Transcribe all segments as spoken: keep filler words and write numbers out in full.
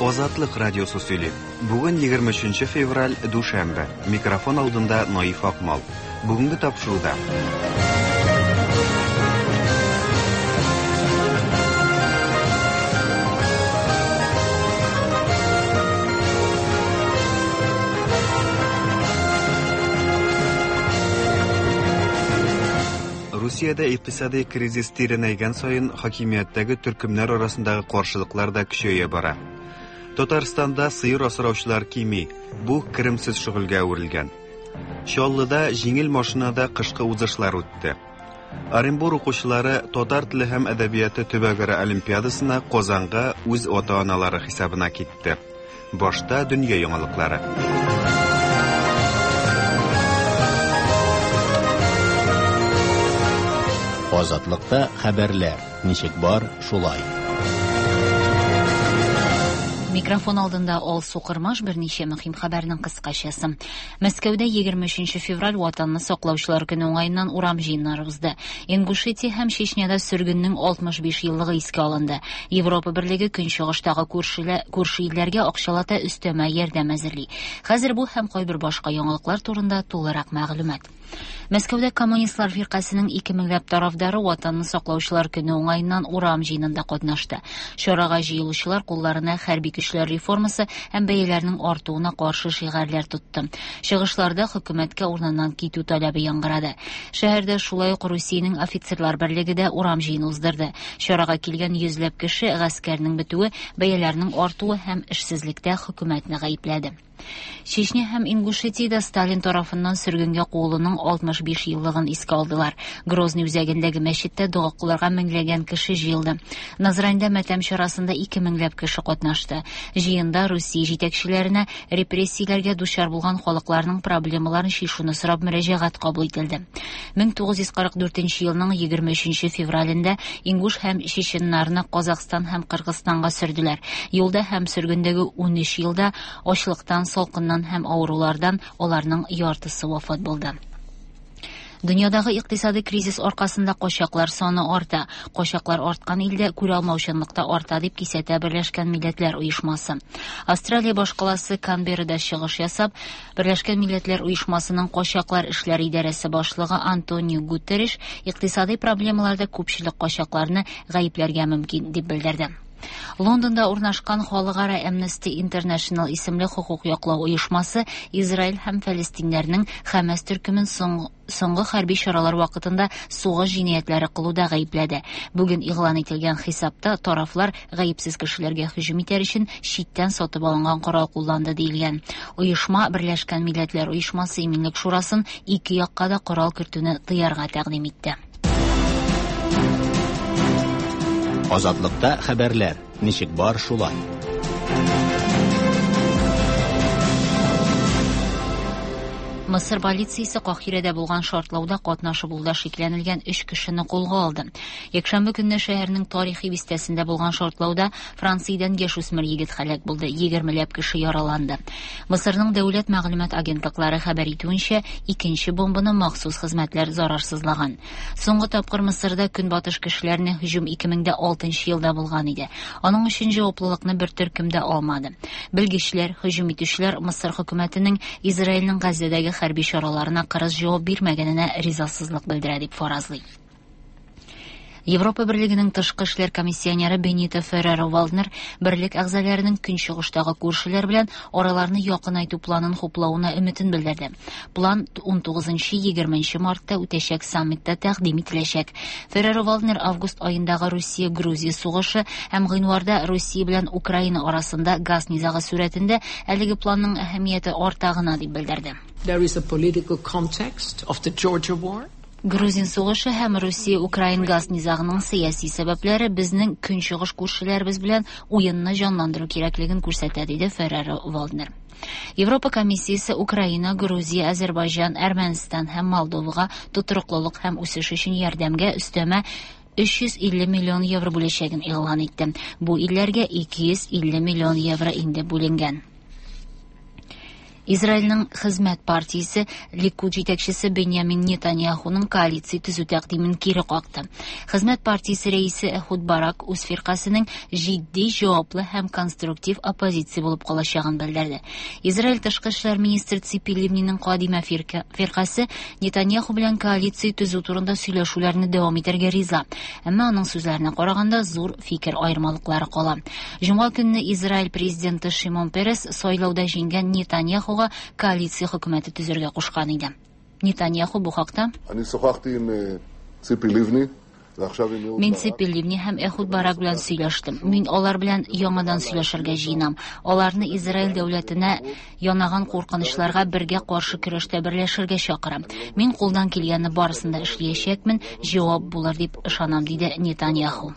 Азатлык радиосы сөйли. Бүген егерме өченче февраль, дүшәмбе. Микрофон алдында Наиф Акмал. Бүгенге тапшыруда. Русиядә икътисади кризис тирәнәйгән саен хакимияттәге төркемнәр арасындагы каршылыклар да көчәя бара. Татарстанда сыер асраучылар кими, бу керемсез шөгыльгә әверелгән. Чаллыда җиңел машинада кышкы узышлар үтте. Оренбур укучылары татар теле һәм әдәбияты төбәкара олимпиадасына Казанга үз ата-аналары хисабына китте. Башта дөнья яңалыклары. Азатлыкта хәбәрләр ничек бар, шулай. Микрофон алдында Алсу Кырмаш берничә мөһим хәбәрнең кыскачасы. Мәскәүдә егерме өченче февраль Ватанны саклаучылар көне уңаеннан урам җыеннары узды. Ингушетия һәм Чечняда сөргеннең алтмыш биш еллыгы искә алынды. Европа Берлеге көнчыгыштагы күрше илләргә акчалата өстәмә ярдәм әзерли. Хәзер бу һәм кайбер башка яңалыклар турында тулырак мәгълүмат. Мәскәүдә коммунистлар фиркасының ике меңләп тарафдары Ватанны саклаучылар көне уңаеннан урам җыенында катнашты. Чарага җыелучылар кулларына хәрби көчләр реформасы һәм бәяләрнең артуына каршы шигарьләр тотты. Чыгышларда хөкүмәткә урыныннан китү таләбе яңгырады. Шәһәрдә шулай ук Русиянең офицерлар берлеге дә урам җыены уздырды. Чарага килгән йөзләп кеше гаскәрнең бетүе, бәяләрнең артуы һәм эшсезлектә хөкүмәтне гаепләде. Чечня һәм Ингушетиядә Сталин тарафыннан сөргенгә куылуның алтмыш биш еллыгын искә алдылар. Грозный үзәгендәге мәчеттә дога кылырга меңләгән кеше җыелды. Назраньда мәтәм чарасында ике меңләп кеше катнашты. Җыенда Русия җитәкчеләренә репрессияләргә дучар булган халыкларның проблемаларын чишүне сорап мөрәҗәгать кабул ителде. мең тугыз йөз кырык дүртенче елның егерме өченче февралендә Ингуш һәм чеченнарны Казахстан һәм Кыргызстанга сөрделәр. Юлда һәм сөргендәге ун өч елда ачлыктан, салкыннан һәм авырулардан аларның яртысы вафат булды. Дөньядагы икътисади кризис аркасында качаклар саны арта. Качаклар арткан илдә күрә алмаучанлык та арта дип кисәтә Берләшкән Милләтләр Оешмасы. Австралия башкаласы Канберрада чыгыш ясап, Берләшкән Милләтләр Оешмасының качаклар эшләре идарәсе башлыгы Антонио Гутерреш икътисади проблемаларда күпчелек качакларны гаепләргә мөмкин дип белдерде. Лондонда урнашкан Халыкара Amnesty International исемле хокук яклау оешмасы Израиль һәм Фәлестиннәрнең Хәмәс төркемен соңгы хәрби чаралар вакытында сугыш җинаятьләре кылуда гаепләде. Бүген игълан ителгән хисапта тарафлар гаепсез кешеләргә һөҗүм итәр өчен читтән сатып алынган корал кулланды диелгән. Оешма Берләшкән Милләтләр Оешмасы Иминлек Шурасын ике якка да корал кертүне тыярга тәкъдим итте. Азатлыкта хәбәрләр ничек бар, шулай. Мысыр полициясе Каһирәдә булган шартлауда катнашы булуда шикләнелгән өч кешене кулга алды. Якшәмбе көнне шәһәрнең тарихи бистәсендә булган шартлауда Франциядән яшүсмер егет һәлак булды, егермеләп кеше яраланды. Мысырның дәүләт мәгълүмат агентлыклары хәбәр итүенчә, икенче бомбаны махсус хезмәтләр зарарсызлаган. Соңгы тапкыр Мысырда көнбатыш кешеләренә һөҗүм ике мең дә алтынчы елда булган иде. Аның өчен җаваплылыкны бер төркем дә алмады. Белгечләр, һөҗүм итүчеләр Мысыр хөкүмәтенең Израильнең Газзәдәге хәрби чараларына кырыс җавап бирмәгәненә ризасызлык белдерә дип фаразлый. Европа Берлегенең тышкы эшләр комиссионеры Бенито Ферреро-Валднер берлек әгъзаларының көнчыгыштагы күршеләр белән араларны якынайту планын хуплавына өметен белдерде. План ун тугызынчы егерменче мартта үтәчәк саммитта тәкъдим ителәчәк. Ферреро-Валднер август аендагы Русия-Грузия сугышы һәм гыйнварда Русия белән Украина арасында газ низагы сурәтендә әлеге планның әһәмияте арта гына дип белдерде. There is a political context of the Georgia war. Грузин сугышы һәм Русия-Украин газ низагының сәяси сәбәпләре безнең көнчыгыш күршеләребез белән уенны җанландыру кирәклеген күрсәтә, диде Ферреро-Валднер. Европа комиссиясе Украина, Грузия, Азербайҗан, Әрмәнстан һәм Молдовага тотрыклылык һәм үсеш өчен ярдәмгә өстәмә өч йөз илле миллион евро бүләчәген игълан итте. Бу илләргә ике йөз илле миллион евро инде бүленгән. Израильнең Хезмәт партиясе Ликуд җитәкчесе Беньямин Нетаньяхуның коалиция төзү тәкъдимен кире какты. Хезмәт партиясе рәисе Эхуд Барак үз фиркасының җитди, җаваплы һәм конструктив оппозиция булып калачагын белдерде. Израиль тышкы эшләр министры Ципи Ливниның Кадима фиркасе Нетаньяху белән коалиция төзү турында сөйләшүләрне дәвам итәргә риза. Әмма аның сүзләренә караганда зур фикер аермалыклары кала. Җомга көнне Израиль президенты Шимон Перес сайлауда җиңгән Нетаньяху коалиция хөкүмәте төзергә кушкан иде. Нетаньяху бу хакта: Мин Ципи Ливни һәм Эхуд Барак белән сөйләштем. Мин алар белән яңадан сөйләшергә җыенам. Аларны Израиль дәүләтенә янаган куркынычларга бергә каршы көрәштә берләшергә чакырам. Мин кулдан килгәнне барысын да эшләячәкмен, җавап булыр дип ышанам, диде Нетаньяху.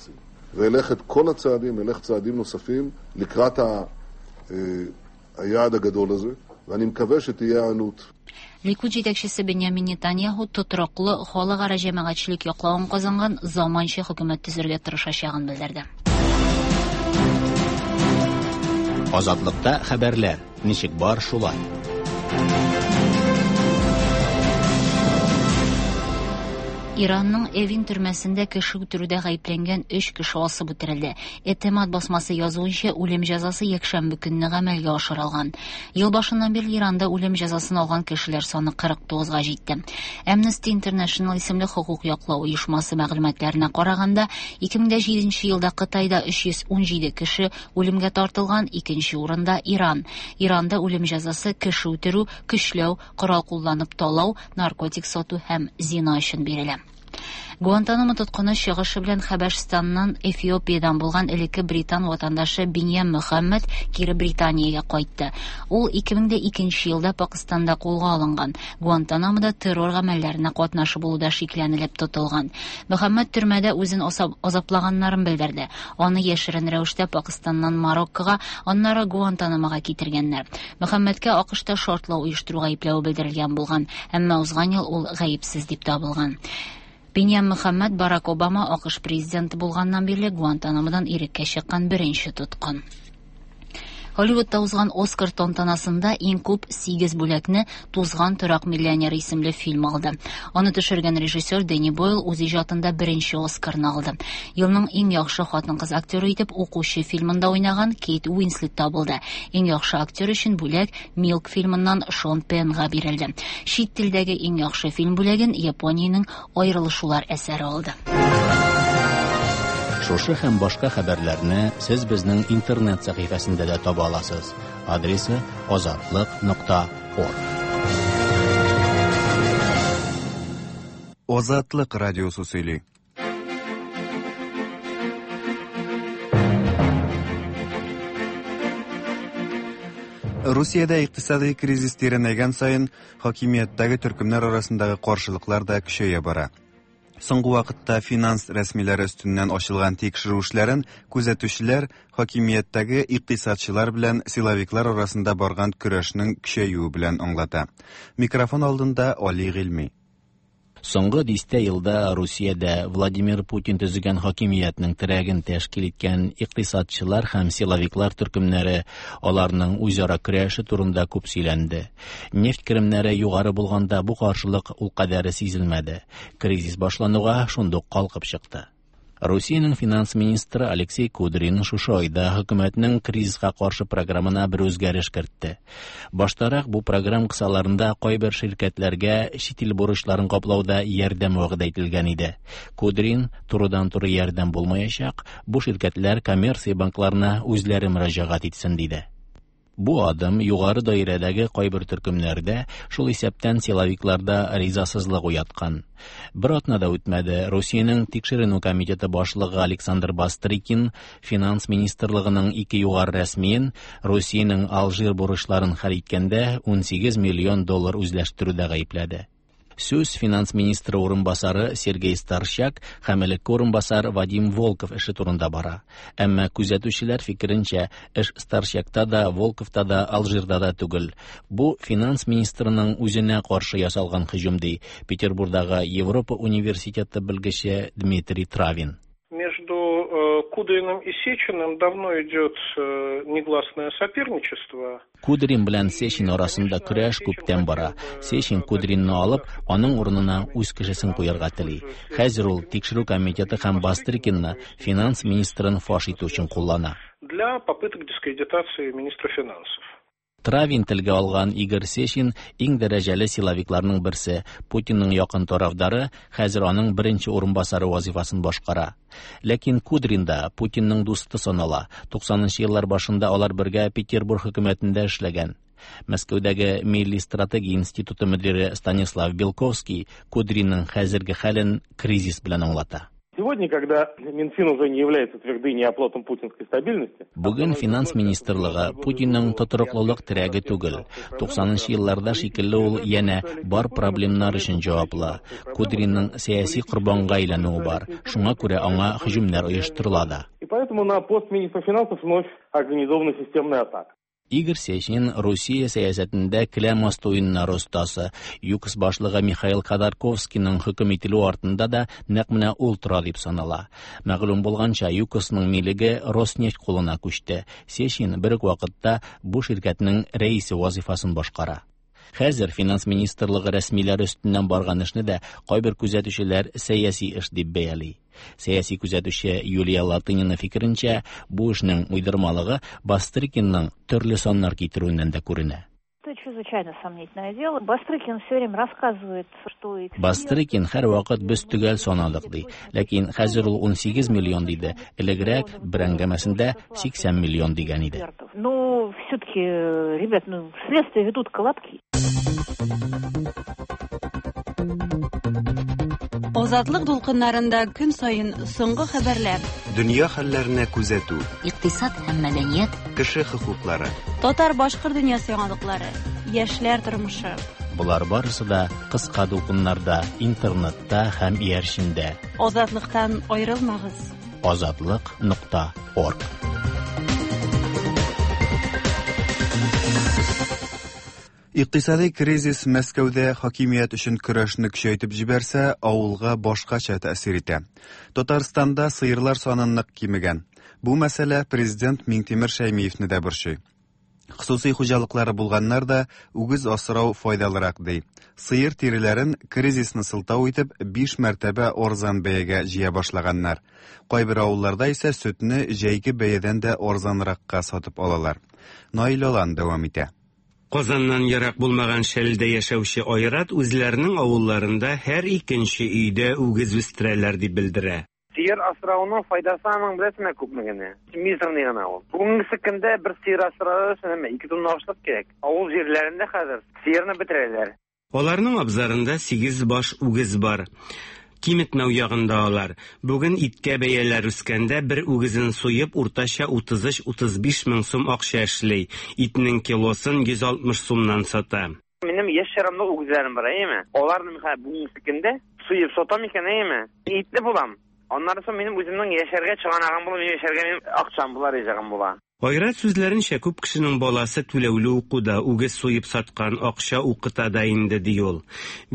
Ликуд җитәкчесе Беньямин Нетаньяху тотрыклы халыкара җәмәгатьчелек яклавын казанган заманча хөкүмәт төзергә тырышачагын белдерде. Азатлыкта хәбәрләр ничек бар шулай. Иранның Эвин төрмәсендә кеше үтерүдә гаепләнгән өч кеше асып үтерелде. Этемат басмасы язуынча, үлем җәзасы якшәмбе көнне гамәлгә ашырылган. Ел башыннан бирле Иранда үлем җәзасын алган кешеләр саны кырык тугызга җитте. Amnesty International исемле хокук яклау оешмасы мәгълүматларына караганда, ике мең дә җиденче елда Кытайда өч йөз ун җиде кеше үлемгә тартылган, икенче урында Иран. Иранда үлем җәзасы кеше үтерү, көчләү, корал кулланып талау, наркотик сату һәм зина өчен бирелә. Гуантанамо тоткыны чыгышы белән Хәбәшстаннан Эфиопиядән булган элекке британ ватандашы Биньям Мөхәммәд кире Британиягә кайтты. Ул ике мең дә икенче елда Пакистанда кулга алынган. Гуантанамода террор гамәлләренә катнашы булуда шикләнелеп тотылган. Мөхәммәд төрмәдә үзен азаплаганнарын белдерде. Аны яшерен рәвештә Пакистаннан Мароккога, аннары Гуантанамога китергәннәр. Мөхәммәдкә АКШта шартлау оештыру гаепләве белдерелгән булган, әмма узган ел ул гаепсез дип табылган. Биньям Мөхәммәд Барак Обама АКШ президенты булганнан бирле Гуантанамодан иреккә чыккан беренче тоткын. Hollywoodта узган Оскар тантанасында иң күп сигез бүләкне Тузган торак миллионер исемле фильм алды. Аны төшергән режиссер Дэнни Бойл үз иҗатында беренче Оскарны алды. Елның иң яхшы хатын-кыз актеры итеп Укучы фильмында уйнаган Кейт Уинслет табылды. Иң яхшы актер өчен бүләк Милк фильмыннан Шон Пенга бирелде. Чит телдәге иң яхшы фильм бүләген Япониянең Аерылышулар әсәре алды. Шушы һәм башка хәбәрләрне сез безнең интернет сәхифәсендә дә таба аласыз. Адресы азатлык нокта орг. Азатлык радиосы сөйли. Русиядә икътисади кризис тирәнәйгән саен хакимияттәге төркемнәр арасындагы каршылыклар да көчәя бара. Соңгы вакытта финанс рәсмиләре өстеннән ачылган тикшерү эшләрен күзәтүчеләр хакимияттәге икътисадчылар белән силовиклар арасында барган көрәшнең көчәюе белән аңлата. Микрофон алдында Али Гыйльми. Соңгы дистә елда Русиядә Владимир Путин төзегән хакимиятнең терәген тәшкил иткән икътисадчылар һәм силовиклар төркемнәре аларның үзара көрәше турында күп сөйләнде. Нефть керемнәре югары булганда бу каршылык ул кадәре сизелмәде. Кризис башлануга шундук калкып чыкты. Русиянең финанс министры Алексей Кудрин шушы айда хөкүмәтнең кризиска каршы программына бер үзгәреш кертте. Баштарак бу программ кысаларында кайбер ширкәтләргә чит ил бурычларын каплауда ярдәм вәгъдә ителгән иде. Кудрин турыдан-туры ярдәм булмаячак, бу ширкәтләр коммерция банкларына үзләре мөрәҗәгать итсен диде. Бу адым югары даирәдәге кайбер төркемнәрдә, шул исәптән силовикларда ризасызлык уяткан. Бер атна да үтмәде, Русиянең тикшеренү комитеты башлыгы Александр Бастрыкин финанс министрлыгының ике югары рәсмиен Русиянең Алжир бурычларын хәл иткәндә ун сигез миллион доллар үзләштерүдә гаепләде. Сүз финанс министры урынбасары Сергей Старчак һәм элекке урынбасар Вадим Волков эше турында бара. Әмма күзәтүчеләр фикеренчә, эш Старчакта да, Волковта да, Алжирда да түгел. Бу финанс министрының үзенә каршы ясалган һөҗүм, ди Петербургдагы Европа университеты белгече Дмитрий Травин. Между Кудриным и Сечиным давно идет негласное соперничество. Кудрин белән Сечин арасында көрәш күптән бара. Сечин Кудринны алып, аның урынына үз кешесен куярга тели. Хәзер ул тикшерү комитеты һәм Бастрыкинны финанс министрын фаш итү өчен куллана. Для попыток дискредитации министра финансов. Травин телгә алган Игорь Сечин иң дәрәҗәле силовикларның берсе, Путинның якын тарафдары, хәзер аның беренче урынбасары вазифасын башкара. Ләкин Кудрин да Путинның дусты санала. туксанынчы еллар башында алар бергә Петербург хөкүмәтендә эшләгән. Мәскәүдәге Милли стратегия институты мөдире Станислав Белковский Кудринның хәзерге хәлен кризис белән аңлата. Сегодня, когда Минфин уже не является твердыней и оплотом путинской стабильности... Бүген финанс министрлыгы Путинның тотрыклылык терәге түгел. туксанынчы елларда шикелле ул янә бар проблемнар өчен җаваплы. Кудринның сәяси корбанга әйләнүе бар. Шуңа күрә аңа һөҗүмнәр оештырыла да. И поэтому на пост министра финансов вновь организована системная атака. Игорь Сечин Русия сәясәтендә келәм асты уеннары остасы. ЮКОС башлыгы Михаил Ходорковскийның хөкем ителүе артында да нәкъ менә ул тора дип санала. Мәгълүм булганча, ЮКОСның милеге Роснефть кулына күчте. Сечин бер үк вакытта бу ширкәтнең рәисе вазифасын башкара. Хәзер финанс министрлыгы рәсмиләре өстеннән барган эшне дә кайбер күзәтүчеләр сәяси эш дип бәяли. Сәяси күзәтүче Юлия Латынина фикеренчә, бу эшнең уйдырмалыгы Бастрыкинның төрле саннар китерүеннән дә күренә. Это чрезвычайно сомнительное дело. Бастрыкин все время рассказывает, что... Бастрыкин һәр вакыт без төгәл санадык ди. Ләкин хәзер ул ун сигез миллион диде. Элегрәк бер әңгәмәсендә сиксән миллион дигән иде. Ну, все-таки, ребят, ну, следствие ведут колобки. Азатлык дулкыннарында көн саен соңгы хәбәрләр. Дөнья хәлләренә күзәтү. Икътисад һәм мәдәният. Кеше хокуклары. Татар-башкорт дөньясы яңалыклары. Яшьләр тормышы. Болар барысы да кыска дулкыннарда, интернетта һәм иярчендә. Азатлыктан аерылмагыз. Азатлык нокта орг. Икътисади кризис Мәскәүдә хакимият өчен көрәшне көчәйтеп җибәрсә, авылга башкача тәэсир итә. Татарстанда сыерлар саны нык кимегән. Бу мәсьәлә президент Миңтимер Шәймиевне дә борчый. Хосусый хуҗалыклары булганнар да үгез асрау файдалырак ди. Сыер тиреләрен кризисны сылтау итеп биш мәртәбә арзан бәягә җыя башлаганнар. Кайбер авылларда исә сөтне җәйге бәядән дә арзанракка сатып алалар. Наил Алан дәвам итә. Казаннан ерак булмаган Шәлдә яшәүче Айрат үзләренең авылларында һәр икенче өйдә үгез үстерәләр дип белдерә. Сыер асрауның файдасы аның беләсеңме күпме генә? Мизерный гына ул. Бүгенге көндә бер сыер асрау өчен ике тонна ашлык кирәк. Авыл җирләрендә хәзер сыерны бетерәләр. Аларның абзарында сигез баш үгез бар. Киметмәү ягында алар. Бүген иткә бәяләр үскәндә бер үгезен суеп уртача утыз өч утыз биш мең сум акча эшли. Итнең килосын йөз алтмыш сумнан сата. Минем яшь чарамда үгезләрем бар, әйеме? Аларны мин бүгенге көндә суеп сатам икән, әйеме? Итле булам. Аннары соң минем үземнең яшәргә чыганагым була, минем яшәргә минем акчам була, ризыгым була. Айрат сүзләренчә, күп кешенең баласы түләүле укуда, үгез суеп саткан акча укыта да инде ди ул.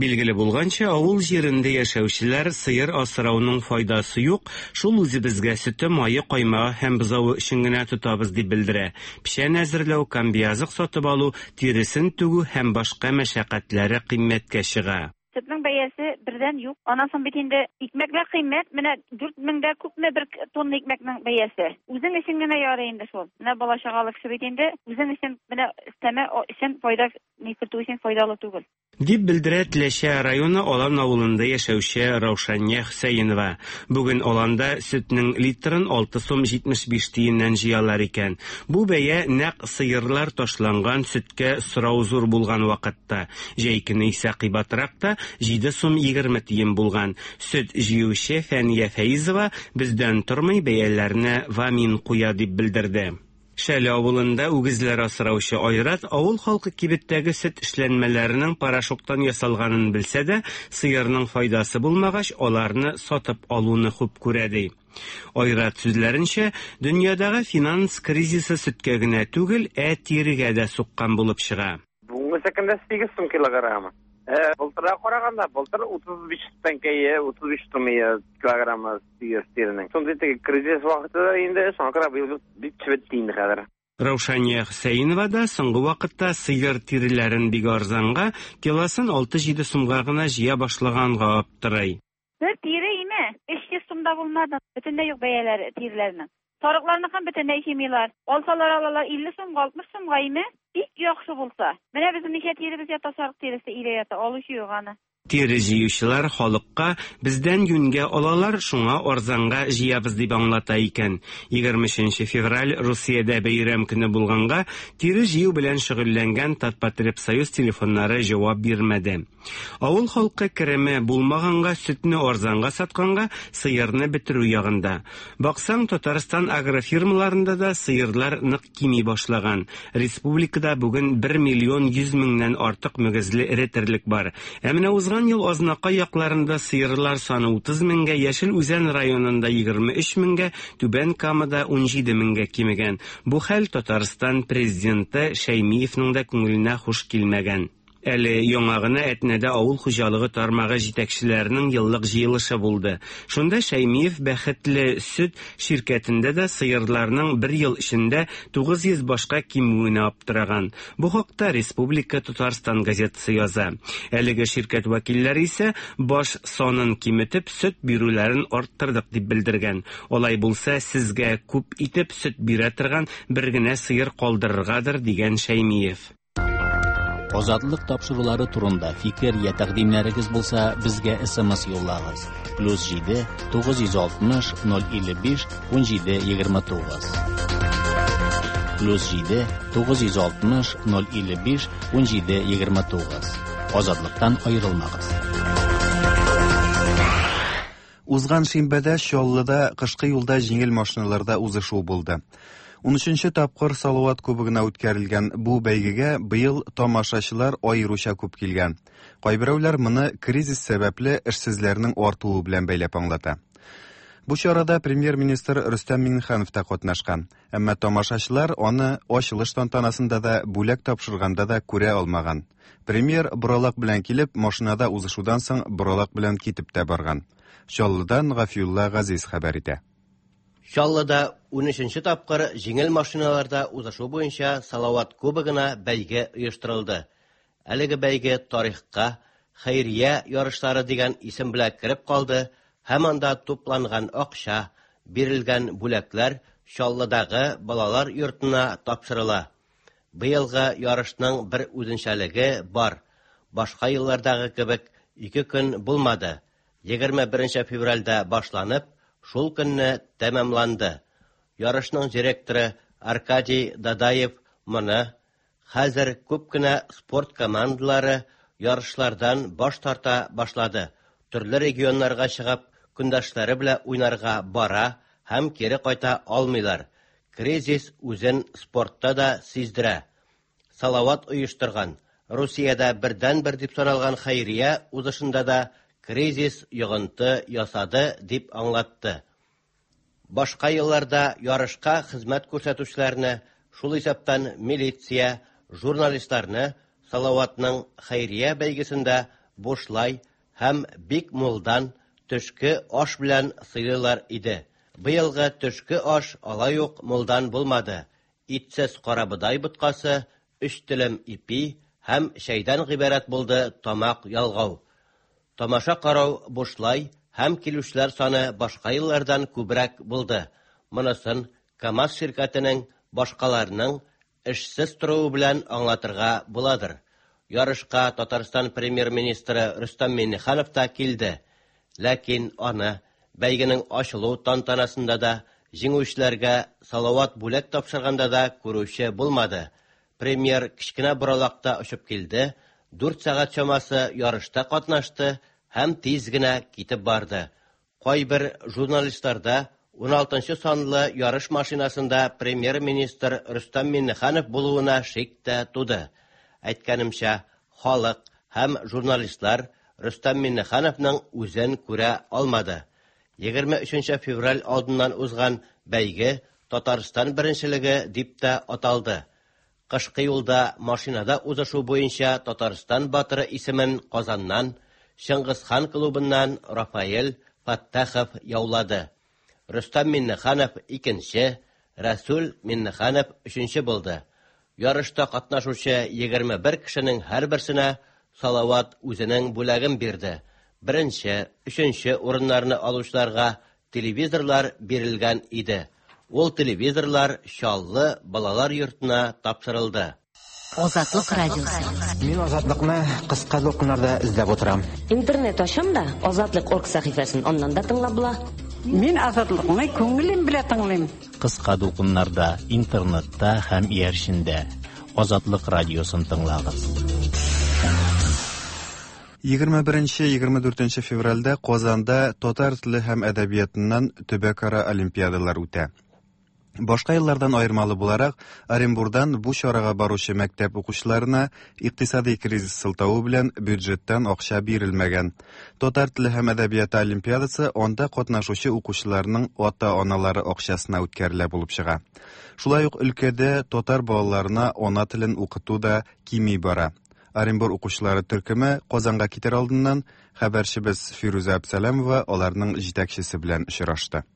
Билгеле булганча, авыл җирендә яшәүчеләр сыер асрауның файдасы юк, шул үзебезгә сөте, мае, каймагы һәм бозавы өчен генә тотабыз дип белдерә. Печән әзерләү, комбиазык сатып алу, тиресен түгү һәм башка мәшәкатьләре кыйммәткә чыга. Сөтнең бәясе бердән юк. Аннан соң бит инде икмәкләр кыйммәт. Менә дүрт меңдә күпме бер тонна икмәкнең бәясе. Үзең өчен генә ярый инде шул. Менә бала чагалы кеше бит инде үзең өчен менә өстәмә өчен файда ни кертү өчен файдалы түгел. Дип белдерә Теләче районы Алан авылында яшәүче Раушания Хөсәенова. Бүген Аланда сөтнең литрын алты сум җитмеш биш тиеннән җыялар икән. Бу бәя нәкъ сыерлар ташланган сөткә сорау зур булган вакытта. Җәй көне исә кыйбатрак та җиде сум егерме тиен булган. Сөт җыючы Фәния Фәизова бездән тормый бәяләрне вамин куя дип белдерде. Шәле авылында үгезләр асраучы Айрат авыл халкы кибеттәге сөт эшләнмәләренең порошоктан ясалганын белсә дә, сыерның файдасы булмагач, аларны сатып алуны хуп күрә ди. Айрат сүзләренчә, дөньядагы финанс кризисы сөткә генә түгел, ә тирегә дә суккан булып чыга. Бүгенге көндә сигез сум килограммы. Э, былтырга караганда, былтыр утыз биш тәңкә, утыз биш сум килограммы сыер тиренең. Шундый теге кризис вакыты инде, шуңа күрә быел бик чебетте инде хәзер. Раушания Хөсәенова да соңгы вакытта сыер тиреләрен бик арзанга, килосын алты-җиде сумга гына җыя башлаганга аптырый. Бер тире име, өч йөз сумда булмады. Бөтенләй юк бәяләре тиреләрнең. Сарыкларныкын бөтенләй җыймыйлар. Алсалар алалар илле сумга, алтмыш сумга име? Бик яхшы булса. Менә безнең ничә тиребез ята, сарык тиресе өйдә ята, алучы юк аны. Тире җыючылар халыкка бездән юньгә алалар, шуңа арзанга җыябыз дип аңлата икән. Егерме өченче февраль Русиядә бәйрәм көне булганга, тире җыю белән шөгыльләнгән Татпотребсоюз телефоннары җавап бирмәде. Авыл халкы кереме булмаганга, сөтне арзанга сатканга, сыерны бетерү ягында. Баксаң, Татарстан агрофирмаларында да сыерлар нык кими башлаган. Республикада бүген бер миллион йөз меңнән артык мөгезле эре терлек бар. Ә менә узган ел Азнакай якларында сыерлар саны утыз меңгә, Яшел Үзән районында егерме өч меңгә, Түбән Камада ун җиде меңгә кимегән. Бу хәл Татарстан президенты Шәймиевның да күңеленә хуш килмәгән. Әле яңа гына Әтнәдә авыл хуҗалыгы тармагы җитәкчеләренең еллык җыелышы булды. Шунда Шәймиев Бәхетле сөт ширкәтендә дә сыерларның бер ел эчендә тугыз йөз башка кимүенә аптыраган. Бу хакта Республика Татарстан газетасы яза. Әлеге ширкәт вәкилләре исә баш санын киметеп сөт бирүләрен арттырдык дип белдергән. Алай булса, сезгә күп итеп сөт бирә торган бер генә сыер калдырыргадыр дигән Шәймиев. Азатлык тапшырулары турында фикер я тәкъдимнәрегез булса, безгә эс эм эс юллагыз. Плюс җиде, тугыз йөз алтмыш, ноль илле биш, ун җиде, егерме тугыз. Плюс җиде, тугыз йөз алтмыш, ноль илле биш, ун җиде, егерме тугыз. Азатлыктан аерылмагыз. Узган шимбәдә Чаллыда кышкы юлда җиңел машиналарда узышу булды. Унөченче тапкыр Салават кубогына үткәрелгән бу бәйгегә быел тамашачылар аеруча күп килгән. Кайберәүләр моны кризис сәбәпле эшсезләрнең артуы белән бәйләп аңлата. Бу чарада премьер-министр Рөстәм Миңнеханов та катнашкан. Әмма тамашачылар аны ачылыш тантанасында да, бүләк тапшырганда да күрә алмаган. Премьер боралак белән килеп, машинада узышудан соң боралак белән китеп тә барган. Чаллыдан Гафиулла Газиз хәбәр итә. Чаллыда унөченче тапкыр җиңел машиналарда узышу буенча Салават кубогына бәйге оештырылды. Әлеге бәйге тарихка хәйрия ярышлары дигән исем белән кереп калды һәм анда тупланган акча, бирелгән бүләкләр Чаллыдагы балалар йортына тапшырыла. Быелгы ярышның бер үзенчәлеге бар. Башка еллардагы кебек ике көн булмады. Егерме беренче февральдә башланып, шул көнне тәмамланды. Ярышның директоры Аркадий Дадаев моны хәзер күп кенә спорт командалары ярышлардан баш тарта башлады. Төрле регионнарга чыгып, көндәшләре белән уйнарга бара һәм кире кайта алмыйлар. Кризис үзен спортта да сиздерә. Салават оештырган, Русиядә бердән-бер дип саналган хәйрия узышында да кризис йогынты ясады дип аңлатты. Башка елларда ярышка хезмәт күрсәтүчеләрне, шул исәптән милиция, журналистларны Салаватның хәйрия бәйгесендә бушлай һәм бик мулдан төшке аш белән сыйлыйлар иде. Быелгы төшке аш алай ук мулдан булмады. Итсез карабодай боткасы, өч телем ипи һәм чәйдән гыйбарәт булды тамак ялгау. Тамаша карау бушлай һәм килүчеләр саны башка еллардан күбрәк булды. Монысын КАМАЗ ширкәтенең башкаларның эшсез торуы белән аңлатырга буладыр. Ярышка Татарстан премьер-министры Рөстәм Миңнеханов та килде. Ләкин аны бәйгенең ачылу тантанасында да, җиңүчеләргә Салават бүләк тапшырганда да күрүче булмады. Премьер кечкенә боралакта очып килде, дүрт сәгать чамасы ярышта катнашты һәм тиз генә китеп барды. Кайбер журналистларда ун алтынчы санлы ярыш машинасында премьер-министр Рөстәм Миңнеханов булуына шик тә туды. Әйткәнемчә, халык һәм журналистлар Рөстәм Миңнехановның үзен күрә алмады. Егерме өченче февраль алдыннан узган бәйге Татарстан беренчелеге дип тә аталды. Кышкы юлда машинада узышу буенча Татарстан батыры исемен Казаннан, Чыңгызхан клубыннан Рафаэль Фаттахов яулады. Рөстәм Миннеханов икенче, Рәсүл Миннеханов өченче булды. Ярышта катнашучы егерме бер кешенең һәрберсенә Салават үзенең бүләген бирде. Беренче, өченче урыннарны алучыларга телевизорлар бирелгән иде. Ул телевизорлар Чаллы балалар йортына тапшырылды. Азатлык радиосы. Мин Азатлыкны кыска дулкыннарда эзләп утырам. Интернет ачам да, Азатлык орг сәхифәсен аннан да тыңлап була. Мин Азатлыкны күңелем белән тыңлыйм. Кыска дулкыннарда, интернетта һәм иярчендә Азатлык радиосын тыңлагыз. Егерме беренче, егерме дүртенче февральдә Казанда татар теле һәм әдәбиятыннан төбәкара олимпиадалар үтә. Башка еллардан аермалы буларак, Оренбурдан бу чарага баручы мәктәп укучыларына икътисади кризис сылтавы белән бюджеттан акча бирелмәгән. Татар теле һәм әдәбияты олимпиадасы анда катнашучы укучыларның ата-аналары акчасына үткәрелә булып чыга. Шулай ук өлкәдә татар балаларына ана телен укыту да кими бара. Оренбур укучылары төркеме Казанга китер алдыннан хәбәрчебез Фирүзә Әбсәләмова аларның җитәкчесе белән очрашты.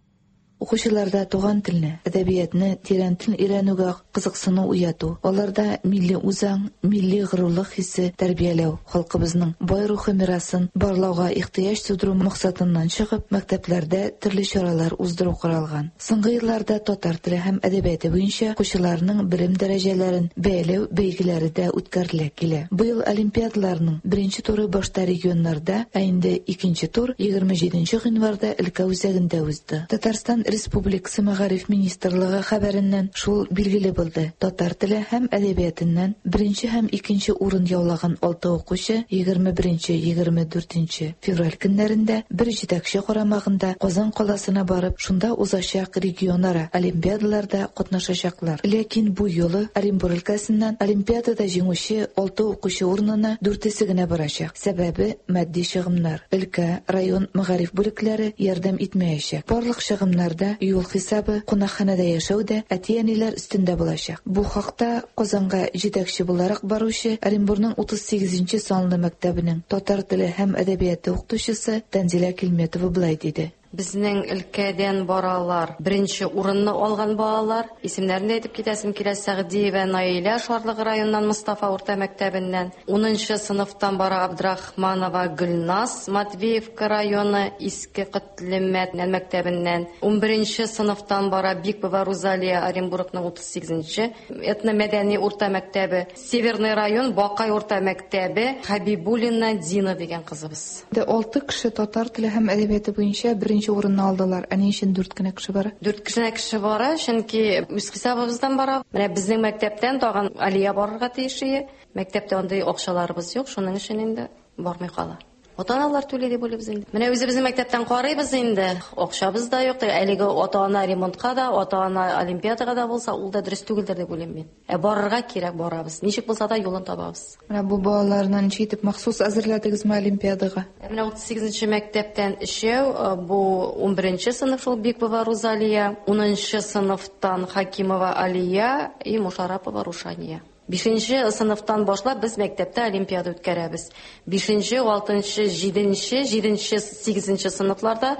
Укучыларда туган телне, әдәбиятны тирәнтен өйрәнүгә кызыксыну уяту, аларда милли үзаң, милли горурлык хисе тәрбияләү, халкыбызның бай рухи мирасын барлауга ихтыяҗ тудыру максатыннан чыгып, мәктәпләрдә төрле чаралар уздыру каралган. Соңгы елларда татар теле һәм әдәбияты буенча укучыларның белем дәрәҗәләрен бәяләү бәйгеләре дә үткәрелә килә. Быел олимпиадаларның беренче туры башта регионнарда, ә инде икенче тур егерме җиденче гыйнварда өлкә үзәгендә узды. Татарстан Республикасы Мәгариф Министрлыгы хәбәреннән шул билгеле булды. Татар теле һәм әдәбиятыннан беренче һәм икенче урын яулаган алты укучы егерме беренче, егерме дүртенче февраль көннәрендә бер җитәкче карамагында Казан каласына барып, шунда узачак регионара олимпиадаларда катнашачаклар. Ләкин бу юлы Оренбур өлкәсеннән олимпиадада җиңүче алты укучы урынына дүртесе генә барачак. Сәбәбе матди чыгымнар. Өлкә, район мәгариф бүлекләре ярдәм итмәячәк. Барлык чыгымнарда юл хисабы, кунакханәдә яшәү дә әти-әниләр өстендә булачак. Бу хакта Казанга җитәкче буларак баручы Оренбурның утыз сигезенче санлы мәктәбенең татар теле һәм әдәбияты укытучысы Тәнзилә Килметова былай диде. Безнең өлкәдән баралар беренче урынны алган балалар. Исемнәрен дә әйтеп китәсем килә: Сәгъдиева Наилә Шарлык районыннан Мостафа урта мәктәбеннән, унынчы сыйныфтан бара Абдрахманова Гөлназ Матвеевка районы Иске Котлемәт мәктәбеннән, унберенче сыйныфтан бара Бикбова Рузалия Оренбургның утыз сигезенче этномәдәни урта мәктәбе, Северный район Бакай урта мәктәбе Хабибуллина Дина дигән кызыбыз. Алты кеше татар теле һәм әдәбияты буенча беренче урынны алдылар. Ә ни өчен дүрт кенә кеше бара? Дүрт кенә кеше бара, чөнки үз хисабыбыздан бара. Менә безнең мәктәптән тагын Алия барырга тиеш иде. Мәктәптә андый акчаларыбыз юк, шуның өчен инде бармый кала. Ата-аналар түли дип уйлыйбыз инде. Менә үзебезнең мәктәптән карыйбыз инде. Акчабыз да юк. Әлеге ата-ана ремонтка да, ата-ана олимпиадага да булса, ул да дөрес түгелдер дип уйлыйм мин. Ә барырга кирәк, барабыз. Ничек булса да юлын табабыз. Менә бу балаларны ничек итеп махсус әзерләдегезме олимпиадага? Менә утыз сигезенче мәктәптән өчәү, бу унберенче сыйныф шул Бикбова Рузалия, унынчы сыйныфтан Хакимова Алия и Мушарапова Рушания. Бишенче сыйныфтан башлап без мәктәптә олимпиада үткәрәбез. Бишенче, алтынчы, җиденче, җиденче, сигезенче сыйныфларда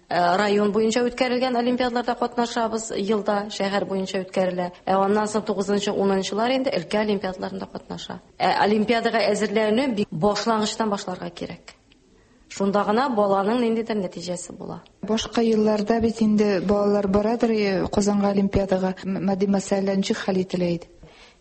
район буенча үткәрелгән олимпиадаларда катнашабыз, елда шәһәр буенча үткәрелә. Ә аннан соң тугызынчы, унынчылар инде өлкә олимпиадаларында катнаша. Ә олимпиадага әзерләнү бик башлангычтан башларга кирәк. Шунда гына баланың ниндидер нәтиҗәсе була. Башка елларда бит инде балалар барадыр Казанга олимпиадага, матди мәсьәләләр ничек хәл ителә иде?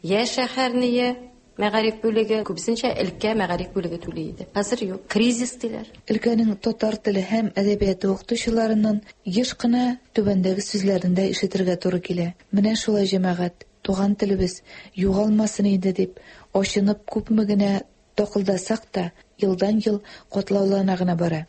Я шәһәрние мәгариф бүлеге, күбесенчә өлкә мәгариф бүлеге түли иде. Хәзер юк, кризис диләр. Өлкәнең татар теле һәм әдәбияты укытучыларыннан еш кына түбәндәге сүзләрен дә ишетергә туры килә. Менә шулай җәмәгать, туган телебез югалмасын иде дип, ачынып күпме генә такылдасак та, елдан-ел катлаулана гына бара.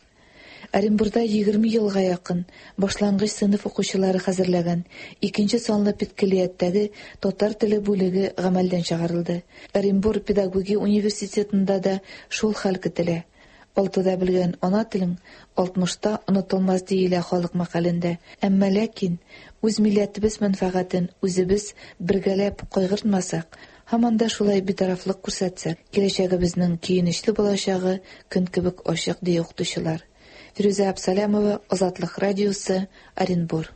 Оренбурда егерме елга якын башлангыч сыйныф укучылары хәзерләгән икенче санлы педкөллияттәге татар теле бүлеге гамәлдән чыгарылды. Оренбур педагогия университетында да шул хәл көтелә. Алтыда белгән ана телең алтмышта онытылмас диелә халык мәкалендә. Әмма ләкин үз милләтебез мәнфәгатен үзебез бергәләп кайгыртмасак, Һаман да шулай битарафлык күрсәтсәк, киләчәгебезнең көенечле булачагы көн кебек ачык, ди укытучылар. Фирүзә Абсалямова, Азатлык радиосы, Оренбур.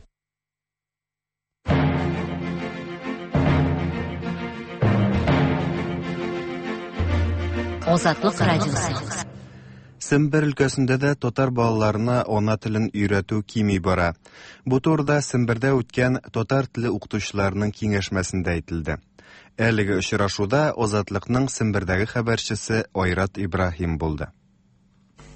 Азатлык радиосы. Сембер өлкәсендә дә татар балаларына ана телен өйрәтү кими бара. Бу турыда Сембердә үткән татар теле укытучыларының киңәшмәсендә әйтелде. Әлеге очрашуда Азатлыкның Сембердәге хәбәрчесе Айрат Ибраһим булды.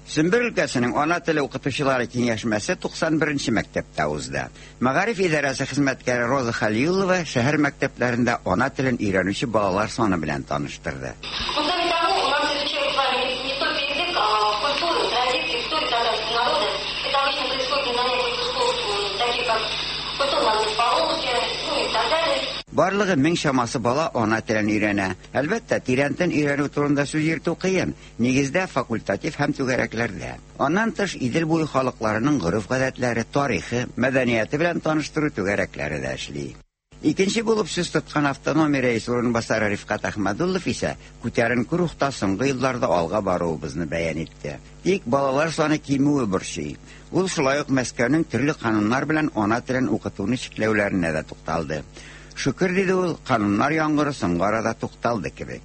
Сембер өлкәсенең ана теле укытучылары киңәшмәсе туксан беренче мәктәптә узды. Мәгариф идарәсе хезмәткәре Роза Халилова шәһәр мәктәпләрендә ана телен өйрәнүче балалар саны белән таныштырды. Барлыгы мең чамасы бала ана телен өйрәнә. Әлбәттә, тирәнтен өйрәнү турында сүз йөртү кыен, нигездә факультатив һәм түгәрәкләрдә. Аннан тыш Идел буе халыкларының гореф-гадәтләре, тарихы, мәдәнияте белән таныштыру түгәрәкләре дә эшли. Икенче булып сүз тоткан автономия рәисе урынбасары Рифкат Әхмәдуллов исә күтәренке рухта соңгы елларда алга баруыбызны бәян итте. Тик балалар саны кимүе борчый. Ул шулай ук Мәскәүнең төрле кануннар белән ана телен укытуны чикләүләренә дә тукталды. Шөкер, диде ул, кануннар яңгыры соңгы арада тукталды кебек.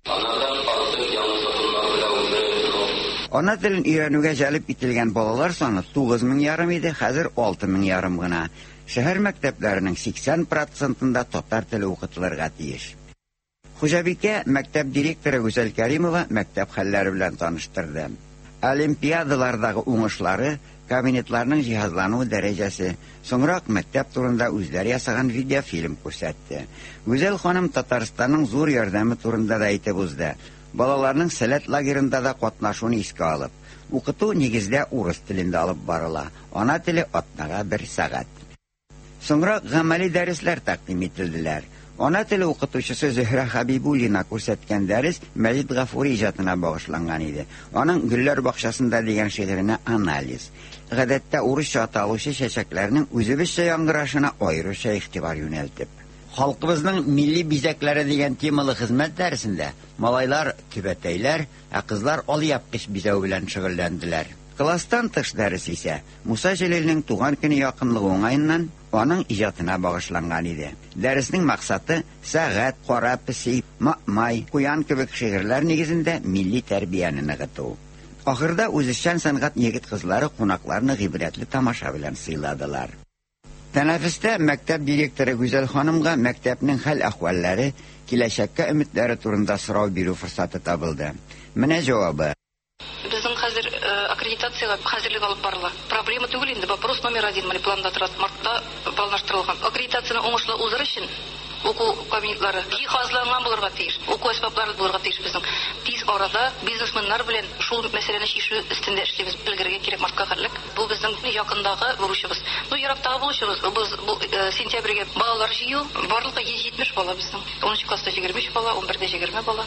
Ана телен өйрәнүгә җәлеп ителгән балалар саны тугыз мең ярым иде, хәзер алты мең ярым гына. Шәһәр мәктәпләренең сиксән процентында татар теле укытылырга тиеш. Хуҗабикә мәктәп директоры Гүзәл Кәримова мәктәп хәлләре белән таныштырды. Олимпиадалардагы уңышлары, кабинетларның җиһазлану дәрәҗәсе, соңрак мәктәп турында үзләре ясаган видеофильм күрсәтте. Гүзәл ханым Татарстанның зур ярдәме турында да әйтеп узды. Балаларның сәләт лагерында да катнашуны искә алып, укыту нигездә урыс телендә алып барыла. Ана теле атнага бер сәгать. Соңрак гамәли дәресләр тәкъдим ителделәр. Ана теле укытучысы Зөһрә Хабибуллина күрсәткән дәрес Мәҗит Гафури иҗатына багышланган иде. Аның Гөлләр бакчасында дигән шигыренә анализ. Гадәттә урысча аталучы чәчәкләрнең үзебезчә яңгырашына аеруча игътибар юнәлтеп. Халкыбызның милли бизәкләре дигән темалы хезмәт дәресендә малайлар түбәтәйләр, ә кызлар алъяпкыч бизәү белән шөгыльләнделәр. Класстан тыш дәрес исә Муса Җәлилнең туган көне якынлыгы уңаеннан аның иҗатына багышланган иде. Дәреснең максаты сәгать, кара песи, май, куян кебек шигырьләр нигезендә милли тәрбияне ныгыту. Ахырда үзешчән сәнгать егет-кызлары кунакларны гыйбрәтле тамаша белән сыйладылар. Тәнәфестә мәктәп директоры Гүзәл ханымга мәктәпнең хәл-әхвәлләре, киләчәккә өметләре турында сорау бирү форсаты табылды. Менә җавабы. Безнең хәзер аккредитациягә хәзерлек алып барыла. Проблема түгел инде, вопрос номер один, менә планда тора, мартта планлаштырылган. Аккредитацияне уңышлы уздыру өчен уку кабинетлары җиһазланган булырга тиеш, уку әсбаплары булырга тиеш безнең. Тиз арада бизнесменнар белән шул мәсьәләне чишү өстендә эшлибез. Белгергә кирәк мартка хәллек. Бу безнең якындагы бурычыбыз. Ну, ерактагы бурычыбыз, без бу сентябрьгә балалар җыю, барлыгы йөз җитмеш бала безнең. Унынчы класста егерме өч бала, унбердә егерме бала.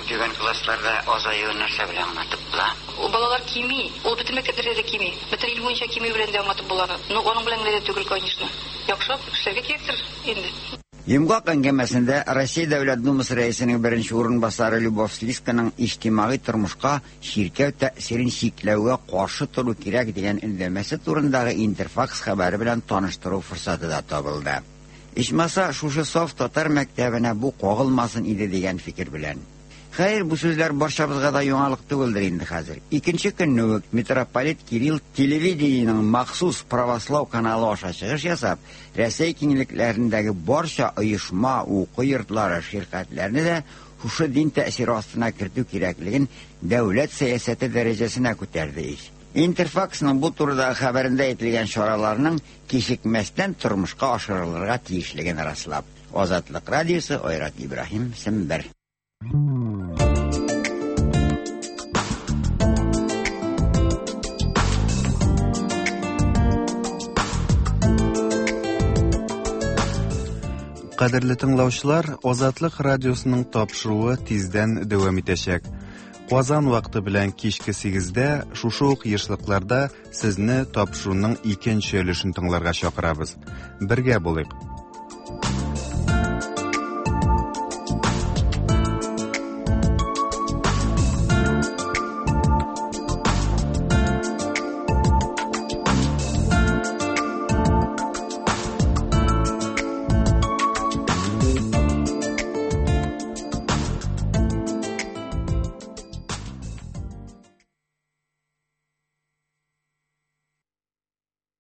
Түбән классларда азаюы нәрсә белән аңлатып була? Балалар кими, ул бөтен мәктәпләрдә дә кими. Бөтен ил буенча кими белән дә аңлатып була. Ну, аның белән генә дә түгел, конечно. Яхшырак эшләргә кирәктер инде. Йомгак әңгәмәсендә Россия Дәүләт Думасы рәисенең беренче урынбасары Любовь Слисканың иҗтимагый тормышка чиркәү тәэсирен чикләүгә каршы тору кирәк дигән өндәмәсе турындагы Интерфакс хәбәре белән таныштыру форсаты да табылды. Ичмаса шушы саф татар мәктәбенә бу кагылмасын иде дигән фикер белән. Хәер, бу сүзләр барчабызга да яңалык түгелдер инде хәзер. Икенче көнне үк митрополит Кирилл телевидениенең махсус православ каналы аша чыгыш ясап, Рәсәй киңлекләрендәге барча оешма, уку йортлары, ширкәтләрне дә шушы дин тәэсире астына кертү кирәклеген дәүләт сәясәте дәрәҗәсенә күтәрде ич. Интерфаксның бу турыдагы хәбәрендә әйтелгән чараларның кичекмәстән тормышка ашырылырга тиешлеген раслап. Азатлык радиосы, Айрат Ибраһим, Сембер. Кадерле тыңлаучылар, Азатлык радиосының тапшыруы тиздән дәвам итәчәк. Казан вакыты белән кичке сигездә шушы ук ешлыкларда сезне тапшыруның икенче өлешен тыңларга чакырабыз. Бергә булыйк.